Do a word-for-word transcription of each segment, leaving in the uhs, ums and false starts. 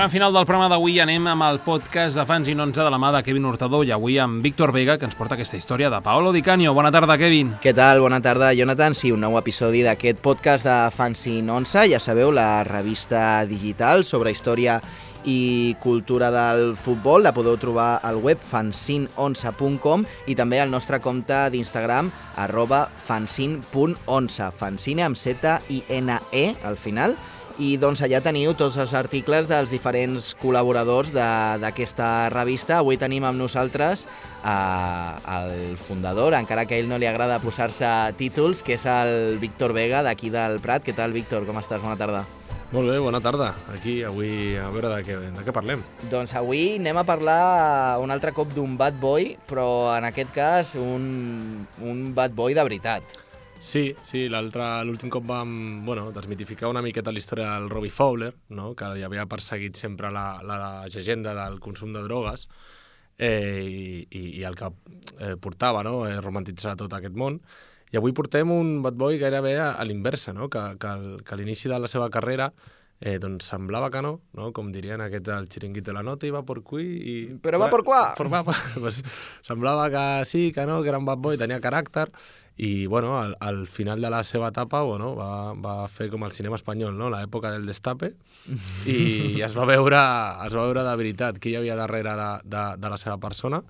Gran final del programa d'avui, anem amb el podcast de Fanzine onze de la mà de Kevin Hurtado i avui amb Víctor Vega, que ens porta aquesta història de Paolo Di Canio. Bona tarda, Kevin. Què tal? Bona tarda, Jonathan. Sí, un nou episodi d'aquest podcast de Fanzine onze. Ja sabeu, la revista digital sobre història i cultura del futbol. La podeu trobar al web fanzine onze punt com i també al nostre compte d'Instagram arroba fanzine punt onze. Fanzine amb Z I N E al final. I doncs allà teniu tots els articles dels diferents col·laboradors d'aquesta revista. Avui tenim amb nosaltres eh, el fundador, encara que a ell no li agrada posar-se títols, que és el Víctor Vega, d'aquí del Prat. Què tal, Víctor? Com estàs? Bona tarda. Molt bé, bona tarda. Aquí, avui, a veure de què, de què parlem. Doncs avui anem a parlar un altre cop d'un bad boy, però en aquest cas un, un bad boy de veritat. Sí, sí, l'últim cop vam bueno, desmitificar una miqueta la història del Robbie Fowler, no? Que hi havia perseguit sempre la, la, la llegenda del consum de drogues eh, i, i el que eh, portava, no? eh, romantitzar tot aquest món. I avui portem un bad boy gairebé a, a l'inversa, no? que, que, el, que a l'inici de la seva carrera eh, doncs semblava que no, no? Com dirien aquest del xiringuito de la nota, i va por qui... I... Però va por qua! Por, va, pues, semblava que sí, que no, que era un bad boy, tenia caràcter. I bueno, al, al final de la seva etapa bueno, va, va fer com el cinema espanyol, no? L'època del destape, i es va veure, es va veure de veritat qui hi havia darrere de, de, de la seva persona,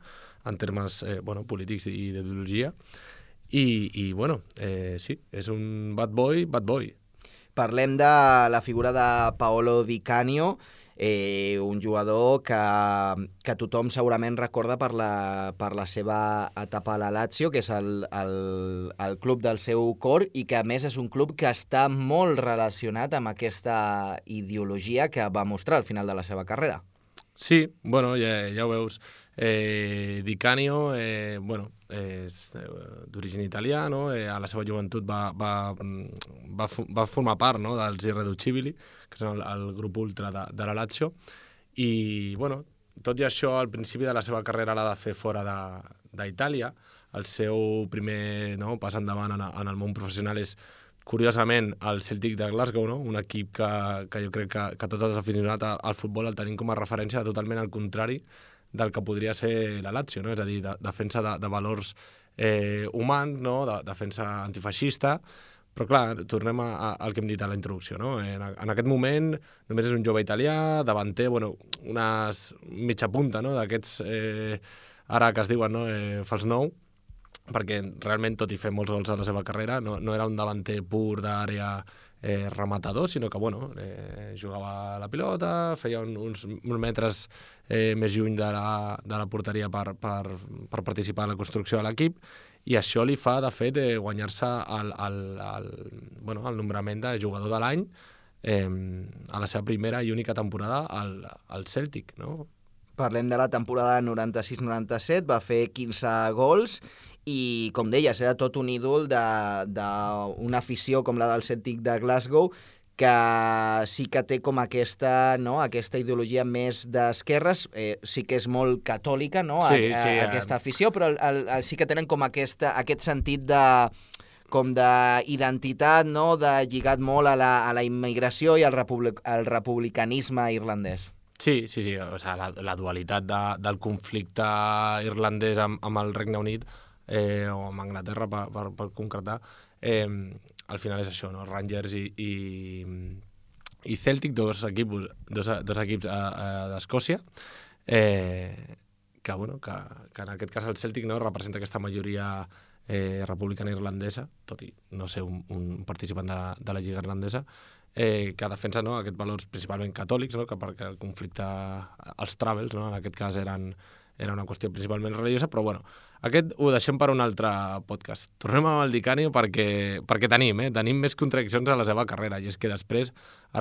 en termes eh, bueno, polítics i d'ideologia. I, i bueno, eh, sí, és un bad boy, bad boy. Parlem de la figura de Paolo Di Canio, Eh, un jugador que, que tothom segurament recorda per la, per la seva etapa a la Lazio, que és el, el, el club del seu cor, i que a més és un club que està molt relacionat amb aquesta ideologia que va mostrar al final de la seva carrera. Sí, bueno, ja, ja ho veus. Eh, Di Canio, eh, bueno, és d'origen italià, no? eh, a la seva joventut va, va, va, va formar part, no? dels Irreducibili, que són el, el grup ultra de, de la Lazio, i bueno, tot i això al principi de la seva carrera l'ha de fer fora d'Itàlia. El seu primer no, pas endavant en, en el món professional és, curiosament, el Celtic de Glasgow, no? Un equip que, que jo crec que, que tots els aficionats al, al futbol el tenim com a referència totalment al contrari del que podria ser la Lazio, no? És a dir, de, defensa de, de valors eh, humans, no? de, defensa antifeixista, però clar, tornem a, a, al que hem dit a la introducció, no? En, en aquest moment només és un jove italià, davanter, bueno, unes mitja punta, no? D'aquests, eh, ara que es diuen, no? eh, fals nou, perquè realment, tot i fer molts gols a la seva carrera, no, no era un davanter pur d'àrea eh, rematador, sinó que bueno, eh, jugava la pilota, feia un, uns, uns metres eh, més lluny de la, de la porteria per, per, per participar en la construcció de l'equip, i això li fa, de fet, eh, guanyar-se el, el, el, bueno, el nombrament de jugador de l'any eh, a la seva primera i única temporada al, al Celtic, no? Parlem de la temporada noranta-sis noranta-set, va fer quinze gols i, com deies, era tot un ídol d'una afició com la del Celtic de Glasgow, que sí que té com aquesta, no, aquesta ideologia més d'esquerres, eh, sí que és molt catòlica, no, sí, a, a, sí, aquesta afició, però el, el, el, sí que tenen com aquesta, aquest sentit de com d'identitat, no, de lligat molt a la, a la immigració i al, republic, al republicanisme irlandès. Sí, sí, sí, o sigui, la, la dualitat de, del conflicte irlandès amb, amb el Regne Unit eh, o amb Anglaterra, per, per, per concretar, eh, al final és això, no? Rangers i, i, i Celtic, dos equips, dos, dos equips eh, eh, d'Escòcia, eh, que, bueno, que, que en aquest cas el Celtic no, representa aquesta majoria eh, republicana irlandesa, tot i no ser un, un participant de, de la Lliga Irlandesa, Eh, que defensa no, aquests valors principalment catòlics, no, que perquè el conflicte, els travels, no, en aquest cas eren, era una qüestió principalment religiosa, però bueno, aquest ho deixem per un altre podcast. Tornem amb el Di Canio perquè, perquè tenim, eh, tenim més contradiccions a la seva carrera, i és que després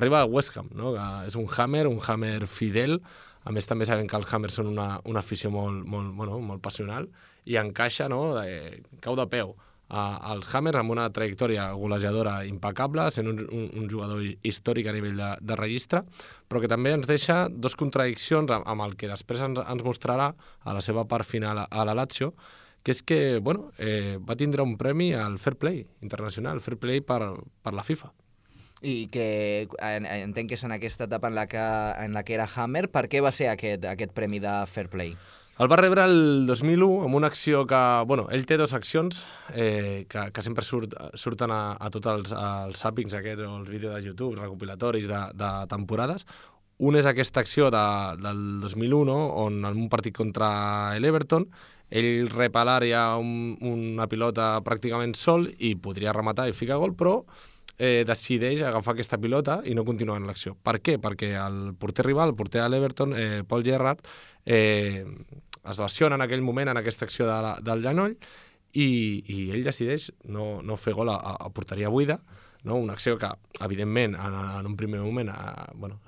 arriba a West Ham, no, que és un Hammer, un Hammer fidel, a més també sabem que els Hammers són una, una afició molt, molt, bueno, molt passional, i encaixa, no, de, cau de peu als Hammers amb una trajectòria golejadora impecable, sent un, un, un jugador històric a nivell de, de registre, però que també ens deixa dos contradiccions amb, amb el que després ens, ens mostrarà a la seva part final a, a la Lazio, que és que bueno, eh, va tindre un premi al Fair Play internacional, Fair Play per, per la FIFA. I que en, entenc que és en aquesta etapa en la que, en la que era Hammer. Per què va ser aquest, aquest premi de Fair Play? El va rebre el dos mil u amb una acció que... Bueno, ell té dues accions eh, que, que sempre surt, surten a, a tots els, els zappings aquests o els vídeos de YouTube, recopilatoris de, de temporades. Un és aquesta acció de, del dos mil u, no? On en un partit contra l'Everton ell rep a l'àrea un, una pilota pràcticament sol i podria rematar i ficar gol, però eh, decideix agafar aquesta pilota i no continuar en l'acció. Per què? Perquè el porter rival, el porter de l'Everton, eh, Paul Gerrard, eh, es lesiona en aquell moment en aquesta acció de la, del genoll i, i ell decideix no, no fer gol a, a porteria buida, no? Una acció que, evidentment, en, en un primer moment eh, bueno,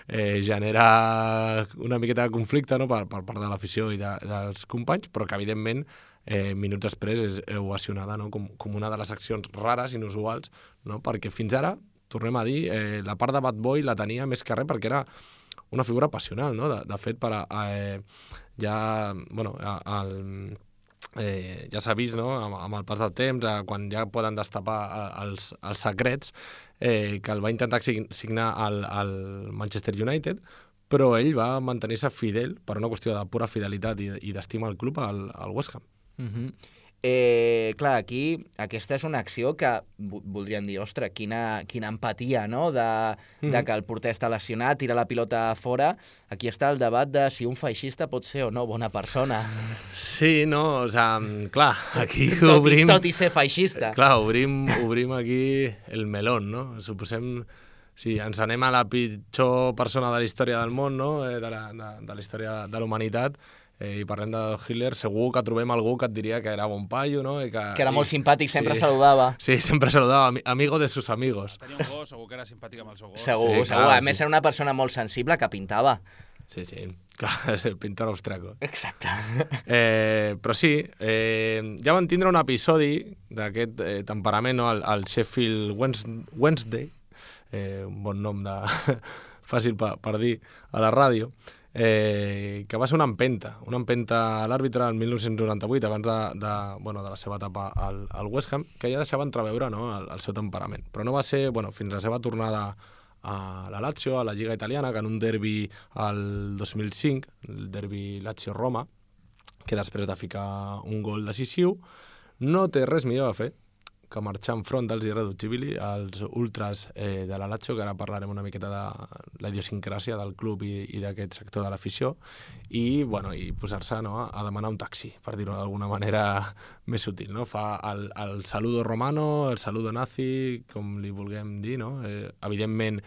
eh, genera una miqueta de conflicte, no? per, per part de l'afició i de, dels companys, però que, evidentment, eh, minuts després és ovacionada, no? com, com una de les accions rares, inusuals, no? Perquè fins ara, tornem a dir, eh, la part de Bad Boy la tenia més que res perquè era una figura passional, no? De, de fet, per a, eh, ja, bueno, el, eh, ja s'ha vist, no? amb, amb el pas del temps, eh, quan ja poden destapar els, els secrets, eh, que el va intentar signar al, al Manchester United, però ell va mantenir-se fidel per una qüestió de pura fidelitat i, i d'estima al club, al, al West Ham. Uh-huh. Eh, clar, aquí aquesta és una acció que voldrien dir, ostres, quina, quina empatia, no?, de, mm. de que el porter està lesionat, tira la pilota fora. Aquí està el debat de si un feixista pot ser o no bona persona. Sí, no, o sigui, clar, aquí tot obrim... I, tot i ser feixista. Clar, obrim, obrim aquí el melón, no? Suposem... Si ens anem a la pitjor persona de la història del món, no?, de la, de, de la història de la humanitat, eh, i parlem de Hitler, segur que trobem algú que et diria que era bon paio, no? I que, que era molt i, simpàtic, sempre sí, saludava. Sí, sempre saludava, amigo de sus amigos. Tenia un gos, segur que era simpàtic amb el seu gos. Segur, sí, segur. clar, A més, sí. era una persona molt sensible que pintava. Sí, sí, clar, és el pintor austriaco. Exacte. Eh, però sí, eh, ja van tindre un episodi d'aquest eh, temperament, no? al, al Sheffield Wednesday, eh, un bon nom de fàcil per, per dir a la ràdio, eh, que va ser una empenta, una empenta a l'àrbitre el mil nou-cents noranta-vuit, abans de, de, bueno, de la seva etapa al, al West Ham, que ja deixava entreveure, no?, el, el seu temperament. Però no va ser, bueno, fins a la seva tornada a la Lazio, a la Lliga Italiana, que en un derbi al dos mil cinc, el derbi Lazio-Roma, que després de ficar un gol decisiu, no té res millor a fer que marxar enfront dels irreductibili, els ultras eh, de la Lazio, que ara parlarem una miqueta de la idiosincràsia del club i, i d'aquest sector de l'afició, i, bueno, i posar-se, no?, a demanar un taxi, per dir-ho d'alguna manera més sutil, no? Fa el, el saludo romano, el saludo nazi, com li vulguem dir, no? Eh, evidentment,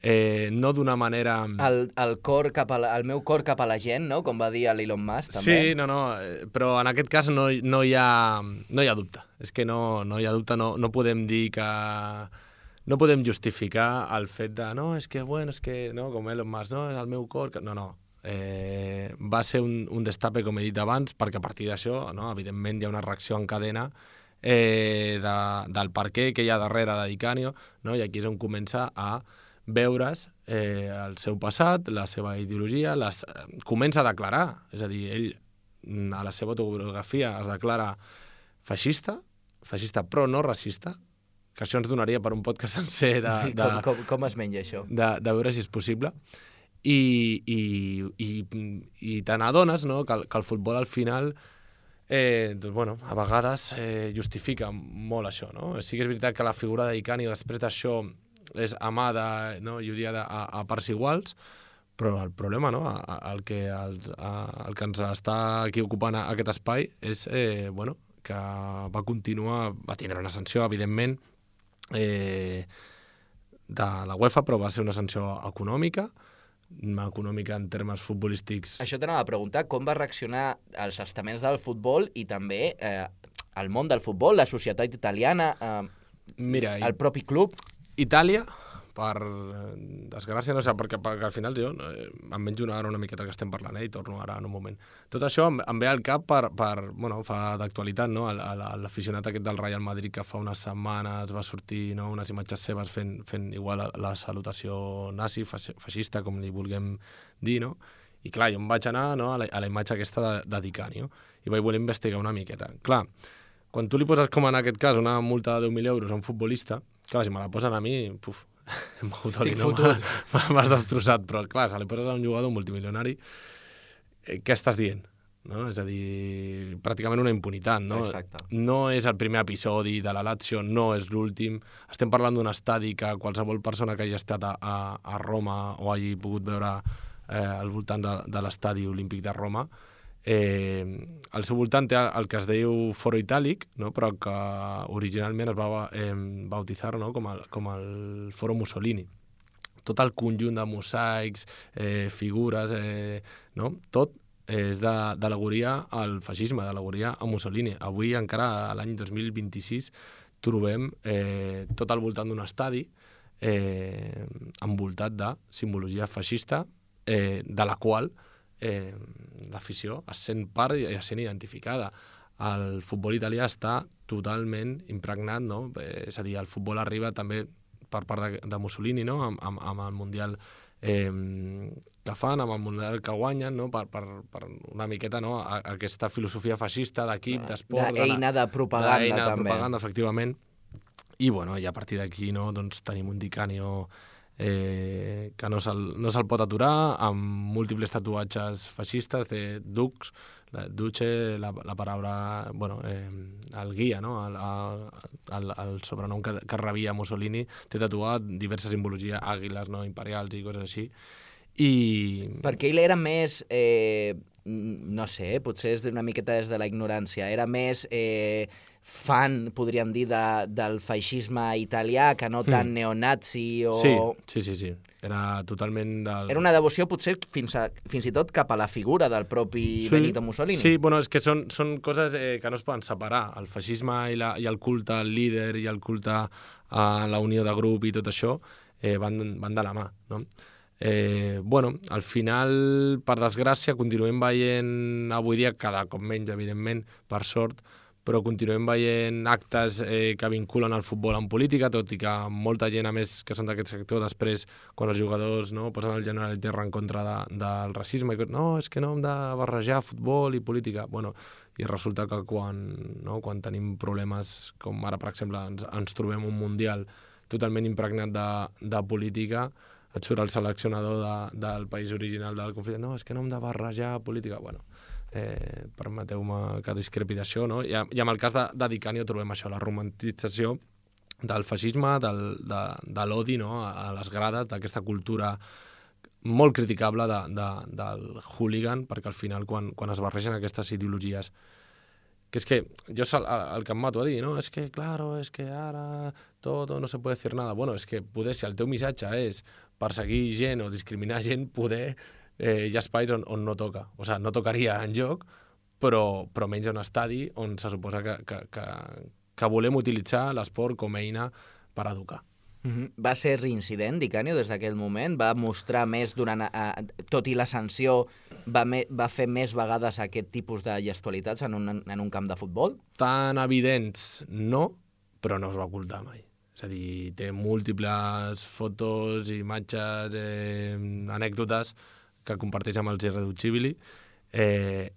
Eh, no d'una manera... El, el, cor cap a la, el meu cor cap a la gent, no?, com va dir l'Elon Musk, també. Sí, no, no, però en aquest cas no, no, hi, ha, no hi ha dubte. És que no, no hi ha dubte, no, no podem dir que... No podem justificar el fet de, no, és que, bueno, és que, no, com Elon Musk, no, és el meu cor... Que... No, no. Eh, va ser un, un destape, com he dit abans, perquè a partir d'això, no, evidentment, hi ha una reacció en cadena eh, de, del per què que hi ha darrere de Di Canio, no? I aquí és on comença a veure's eh, el seu passat, la seva ideologia, les, eh, comença a declarar, és a dir, ell a la seva autobiografia es declara feixista, feixista però no racista, que això ens donaria per un podcast sencer de, de, com, com, com es menja això? De, de veure si és possible. I, i, i, i te n'adones, no?, que, que el futbol al final eh, doncs, bueno, a vegades eh, justifica molt això, no? Sí que és veritat que la figura de Di Canio després d'això és amada, no?, i odiada a, a parts iguals, però el problema, no?, a, a, el, que, el, a, el que ens està aquí ocupant a, aquest espai és eh, bueno, que va continuar, va tindre una sanció, evidentment, eh, de la UEFA, però va ser una sanció econòmica, econòmica en termes futbolístics. Això t'anava a preguntar, com va reaccionar els estaments del futbol i també eh, el món del futbol, la societat italiana, eh, Mira, el propi club? Itàlia, per desgràcia, no sé, perquè, perquè al final jo eh, em menjo una, ara una miqueta que estem parlant, eh, i torno ara en un moment. Tot això em, em ve al cap per, per bueno, fa d'actualitat, no?, l'aficionat aquest del Real Madrid que fa unes setmanes va sortir, no?, unes imatges seves fent, fent igual la, la salutació nazi, feixista, com li vulguem dir, no? I clar, jo em vaig anar, no?, a la, a la imatge aquesta de, de Di Canio i vaig voler investigar una miqueta. Clar, quan tu li poses, com en aquest cas, una multa de deu mil euros a un futbolista, Clar, si me la posen a mi, puf, Estic fotut. m'has destrossat, però clar, se li poses a un jugador multimilionari, eh, què estàs dient? No? És a dir, pràcticament una impunitat, no? Exacte. No és el primer episodi de la Lazio, no és l'últim. Estem parlant d'un estadi que qualsevol persona que hagi estat a, a, a Roma o hagi pogut veure eh, al voltant de, de l'estadi olímpic de Roma, eh, al seu voltant té el que es diu Foro Itàlic, no? Però que originalment es va eh, bautitzar, no? com, el, com el Foro Mussolini. Tot el conjunt de mosaics, eh, figures, eh, no? Tot és d'al·legoria al feixisme, d'al·legoria a Mussolini. Avui, encara a l'any dos mil vint-i-sis, trobem eh, tot al voltant d'un estadi eh, envoltat de simbologia feixista, eh, de la qual eh, l'afició es sent part i es sent identificada. El futbol italià està totalment impregnat, no? Eh, és a dir, el futbol arriba també per part de, de Mussolini, no? amb, amb, amb el Mundial Eh, que fan, amb el Mundial que guanyen, no? per, per, per una miqueta, no? a, a aquesta filosofia feixista d'equip, d'esport... D'eina de propaganda, d'eina de també. propaganda, efectivament. I, bueno, i a partir d'aquí, no? doncs, tenim un Di Canio eh, que no se'l no se pot aturar, amb múltiples tatuatges feixistes, de Dux, la, Duce, la, la paraula, bueno, eh, el guia, no? el, el, el sobrenom que, que rebia Mussolini, té tatuat diverses simbologies, àguiles, no? imperials i coses així. I... Perquè ell era més, eh, no sé, potser és una miqueta des de la ignorància, era més eh, fan, podríem dir, de, del feixisme italià, que no tan mm. neonazi o... Sí, sí, sí, sí. Era totalment del... Era una devoció potser fins, a, fins i tot cap a la figura del propi sí, Benito Mussolini. Sí, bueno, és que són, són coses eh, que no es poden separar. El feixisme i, la, i el culte al líder i el culte a la unió de grup i tot això eh, van, van de la mà, no? Eh, bueno, al final, per desgràcia, continuem veient avui dia, cada cop menys, evidentment, per sort, però continuem veient actes eh, que vinculen el futbol amb política, tot i que molta gent, a més, que són d'aquest sector, després, quan els jugadors no, posen el general i terra en contra de, del racisme, i no, és que no hem de barrejar futbol i política. Bueno, i resulta que quan, no, quan tenim problemes, com ara, per exemple, ens, ens trobem un mundial totalment impregnat de, de política, et surt el seleccionador de, del país original del conflicte, no, és que no hem de barrejar política. Bueno, eh, permeteu-me que discrepi d'això, no? I, i amb el cas de, de Di Canio trobem això, la romantització del feixisme, del, de, de l'odi, no? a, a les grades, d'aquesta cultura molt criticable de, de, del hooligan, perquè al final, quan, quan es barregen aquestes ideologies, que és que jo el, el que em mato a dir, no? És que, claro, és que ara tot no se puede decir nada. Bueno, és que poder, si el teu missatge és perseguir gent o discriminar gent, poder eh, hi ha espais on, on no toca. O sigui, no tocaria en joc, però, però menys un estadi on se suposa que, que, que, que volem utilitzar l'esport com a eina per educar. Mm-hmm. Va ser reincident, Di Canio, des d'aquell moment? Va mostrar més durant... A, tot i la sanció, va, me, va fer més vegades aquest tipus de gestualitats en un, en un camp de futbol? Tan evidents no, però no es va ocultar mai. És a dir, té múltiples fotos, imatges, eh, anècdotes que comparteix amb els Irreducibili. Eh,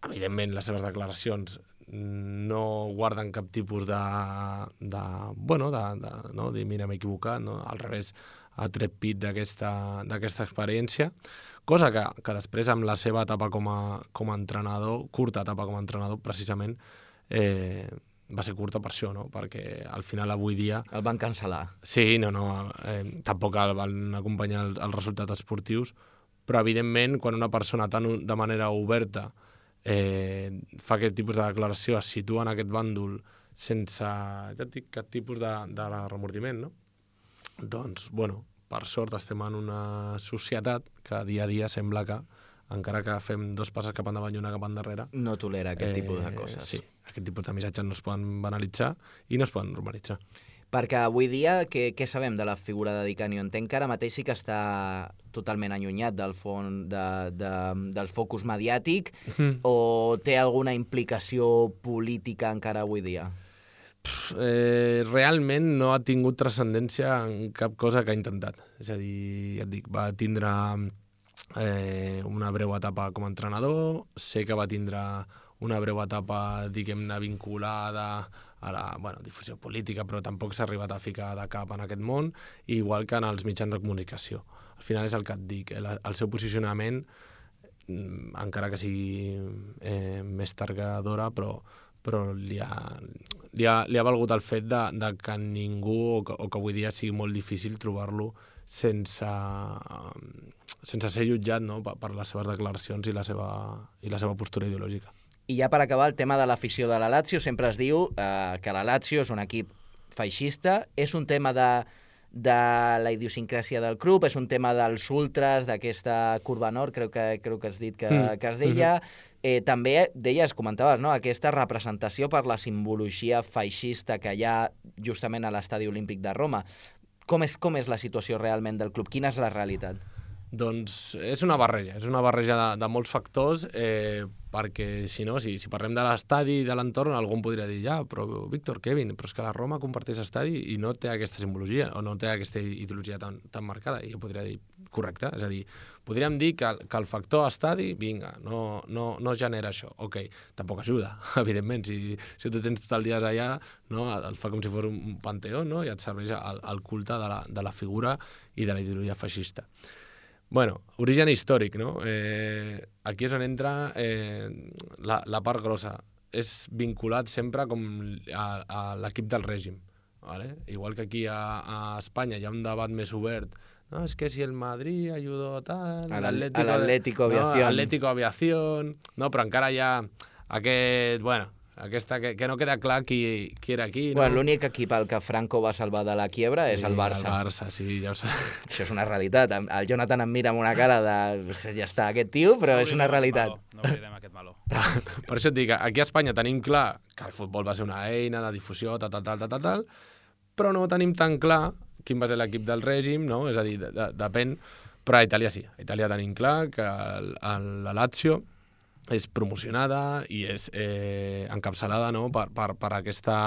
evidentment, les seves declaracions no guarden cap tipus de... de bueno, de, de, no? de mira, m'he equivocat, no? Al revés, ha tret pit d'aquesta experiència, cosa que, que després, amb la seva etapa com a, com a entrenador, curta etapa com a entrenador, precisament, eh, va ser curta per això, no? Perquè al final avui dia... El van cancel·lar. Sí, no, no, eh, tampoc el van acompanyar els, els resultats esportius, però evidentment quan una persona tan de manera oberta eh, fa aquest tipus de declaració, es situa en aquest bàndol sense, ja et dic, cap tipus de, de remordiment, no? Doncs, bueno, per sort estem en una societat que dia a dia sembla que, encara que fem dos passes cap endavant i una cap endarrere... No tolera aquest eh, tipus de coses. Sí, aquest tipus de missatges no es poden banalitzar i no es poden normalitzar. Perquè avui dia, què, què sabem de la figura de Di Canio? Entenc que ara mateix sí que està totalment allunyat del fon, de, de, del focus mediàtic, mm. o té alguna implicació política encara avui dia? Pff, eh, realment no ha tingut transcendència en cap cosa que ha intentat. És a dir, ja et dic, va tindre... Eh, una breu etapa com a entrenador, sé que va tindre una breu etapa, diguem-ne, vinculada a la bueno, difusió política, però tampoc s'ha arribat a ficar de cap en aquest món, igual que en els mitjans de comunicació. Al final és el que et dic, el, el seu posicionament, encara que sigui eh, més targadora, però, però li, ha, li, ha, li ha valgut el fet de, de que ningú, o que, o que avui dia sigui molt difícil trobar-lo sense, sense ser jutjat, no? per, per les seves declaracions i la seva, i la seva postura ideològica. I ja per acabar, el tema de l'afició de la Lazio, sempre es diu eh, que la Lazio és un equip feixista, és un tema de, de la idiosincràsia del club, és un tema dels ultras, d'aquesta curva nord, crec que, crec que has dit que, mm. que es deia. Eh, també deies, comentaves, no? aquesta representació per la simbologia feixista que hi ha justament a l'Estadi Olímpic de Roma. Com és, com és la situació realment del club? Quina és la realitat? Doncs és una barreja, és una barreja de, de molts factors, eh, perquè si no, si, si parlem de l'estadi i de l'entorn, algú em podria dir, ja, però Víctor, Kevin, però és que la Roma comparteix estadi i no té aquesta simbologia, o no té aquesta ideologia tan, tan marcada, i jo podria dir, correcte, és a dir, podríem dir que, que el factor estadi, vinga, no, no, no genera això, ok, tampoc ajuda, evidentment, si, si tu tens tot el dia allà, no, et fa com si fos un panteó, no, i et serveix el, el culte de la, de la figura i de la ideologia feixista. Bueno, origen històric, no? Eh, aquí és on entra eh, la, la part grossa. És vinculat sempre com a, a l'equip del règim. ¿Vale? Igual que aquí a, a Espanya hi ha un debat més obert. No, és que si el Madrid ayudó tal... A l'Atlético Aviación. No, Atlético Aviación... No, però encara hi ha aquest... Bueno, aquesta que, que no queda clar qui, qui era qui. No? Bueno, l'únic equip al que Franco va salvar de la quiebra és sí, el Barça. El Barça, sí, ja ho sé. Això és una realitat. El Jonathan em mira amb una cara de... Ja està, aquest tio, però no és una realitat. No obrirem aquest meló. Per això et dic, aquí a Espanya tenim clar que el futbol va ser una eina de difusió, tal, tal, tal, tal, tal, però no tenim tan clar quin va ser l'equip del règim, no? És a dir, de, de, depèn... Però a Itàlia sí. A Itàlia tenim clar que el, el, la Lazio és promocionada i és eh, encapçalada, no? per, per, per aquesta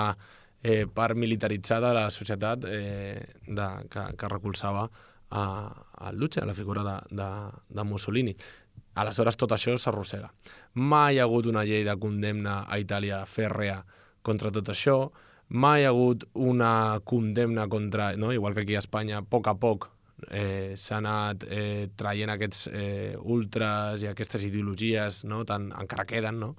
eh, part militaritzada de la societat eh, de, que, que recolzava a, a Luce, a la figura de, de, de Mussolini. Aleshores, tot això s'arrossega. Mai hi ha hagut una llei de condemna a Itàlia fèrrea contra tot això, mai hi ha hagut una condemna contra... No? Igual que aquí a Espanya, a poc a poc, Eh, s'ha anat eh, traient aquests eh, ultras i aquestes ideologies, no? Tant, encara queden, no?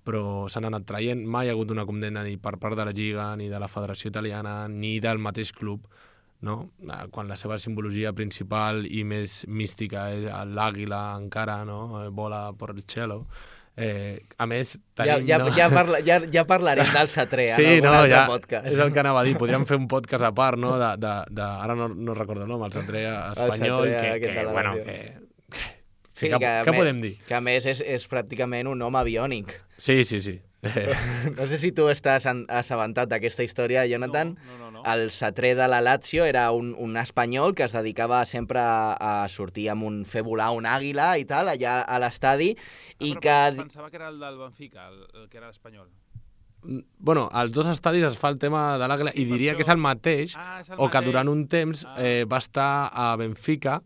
Però s'han anat traient. Mai hi ha hagut una condemna ni per part de la Lliga, ni de la Federació Italiana, ni del mateix club, no? Quan la seva simbologia principal i més mística és l'àguila encara, no? Vola per el cielo. Eh, a més, tenim... Ja, ja, no? ja, parla, ja, ja parlarem del Satré en sí, algun no, altre ja, podcast. És el que anava a dir. Podríem fer un podcast a part, no? De, de, de, ara no, no recordo el nom, el Satré espanyol, el Satré, que, que, bueno, que, sí, que, que, què me, podem dir? Que a més és, és pràcticament un home biònic. Sí, sí, sí. No sé si tu estàs assabentat d'aquesta història, Jonathan. No, no, no, no. El Satré de la Lazio era un, un espanyol que es dedicava sempre a, a sortir amb un... fer volar un àguila i tal, allà a l'estadi. Ah, i que... Pensava que era el del Benfica, el, el que era l'espanyol. Bueno, als dos estadis es fa el tema de l'àguila sí, i diria això... que és el mateix, ah, és el o mateix. Que durant un temps ah. eh, va estar a Benfica,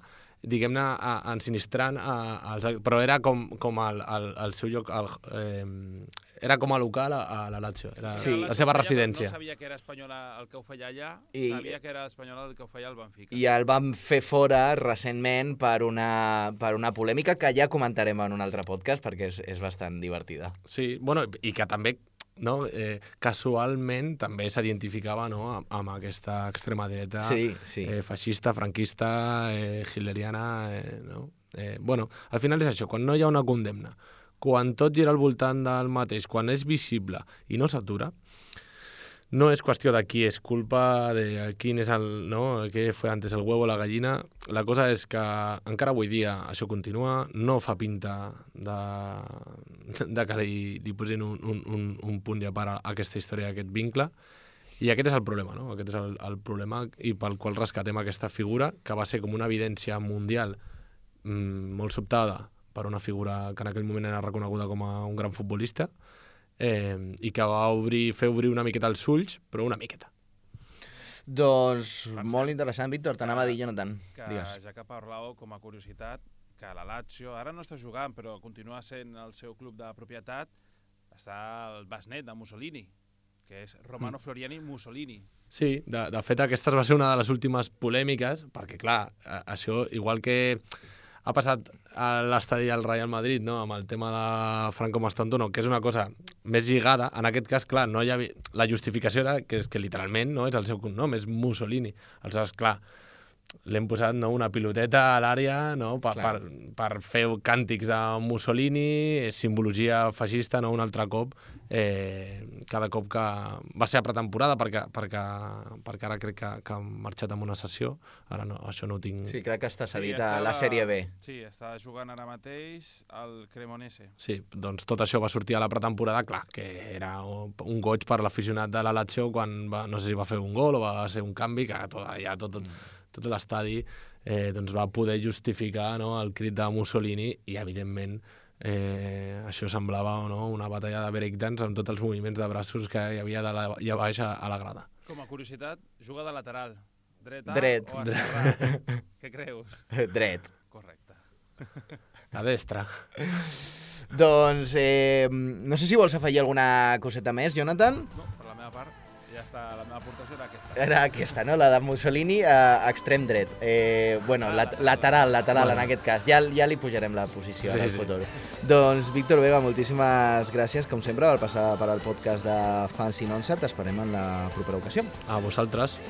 diguem-ne, ensinistrant, a, a, a, però era com, com el, el, el seu lloc... El, eh, era com a local a, a la Lazio, era sí. la seva residència. No sabia que era espanyol el que ho feia allà, I... sabia que era espanyol el que ho feia al Benfica. I el van fer fora recentment per una, per una polèmica que ja comentarem en un altre podcast perquè és, és bastant divertida. Sí, bueno, i que també no, eh, casualment també s'identificava, no, amb, amb aquesta extrema dreta sí, sí. Eh, feixista, franquista, eh, hitleriana, eh, no? Eh, bueno, al final és això, quan no hi ha una condemna, quan tot gira al voltant del mateix, quan és visible i no s'atura, no és qüestió de qui és culpa, de quin és el... No? Què fue antes, el huevo o la gallina. La cosa és que encara avui dia això continua, no fa pinta de, de que li, li posin un, un, un punt i a part a aquesta història, a aquest vincle, i aquest és el problema, no? Aquest és el, el problema i pel qual rescatem aquesta figura, que va ser com una evidència mundial mmm, molt sobtada per una figura que en aquell moment era reconeguda com a un gran futbolista, Eh, i que va obrir, fer obrir una miqueta els ulls, però una miqueta. Doncs molt interessant, Víctor, t'anava a dir, Jonathan. Que Digues. ja que parlàveu, com a curiositat, que la Lazio, ara no està jugant, però continua sent el seu club de propietat, està el besnet de Mussolini, que és Romano Floriani Mussolini. Sí, de, de fet aquesta va ser una de les últimes polèmiques, perquè clar, això igual que ha passat a l'estadi del Real Madrid, no?, amb el tema de Franco Mastantuono, que és una cosa més lligada, en aquest cas, clar, no hi havia... la justificació era que, és que literalment no és el seu cognom, és Mussolini. Aleshores, clar, l'hem posat, no?, una piloteta a l'àrea, no?, per, per, per fer càntics de Mussolini, simbologia feixista, no?, un altre cop, eh, cada cop que va ser a pretemporada, perquè, perquè, perquè ara crec que, que ha marxat amb una sessió, ara no, això no ho tinc... Sí, crec que està cedit Sí, a estava- la Sèrie B. Sí, està jugant ara mateix al Cremonese. Sí, doncs tot això va sortir a la pretemporada, clar, que era un goig per l'aficionat de la Lazio quan va, no sé si va fer un gol o va ser un canvi, que tot, ja tot, tot, tot l'estadi eh, doncs va poder justificar, no?, el crit de Mussolini i, evidentment, eh, això semblava, no?, una batalla de breakdance amb tots els moviments de braços que hi havia de la, allà baix a, a la grada. Com a curiositat, juga de lateral. Dreta Dret. o esquerra? Què creus? Dret. Correcte. A destra. Doncs, eh, no sé si vols afegir alguna coseta més, Jonathan? No, per la meva part, ja està, la meva aportació era aquesta. Era aquesta, no? La de Mussolini, eh, extrem dret. Eh, bueno, lat lateral, lateral en aquest cas. Ja, ja li pujarem la posició Sí, en el sí. futur. Doncs, Víctor Vega, moltíssimes gràcies, com sempre, per passar per al podcast de Fans in Onça. T'esperem en la propera ocasió. A vosaltres.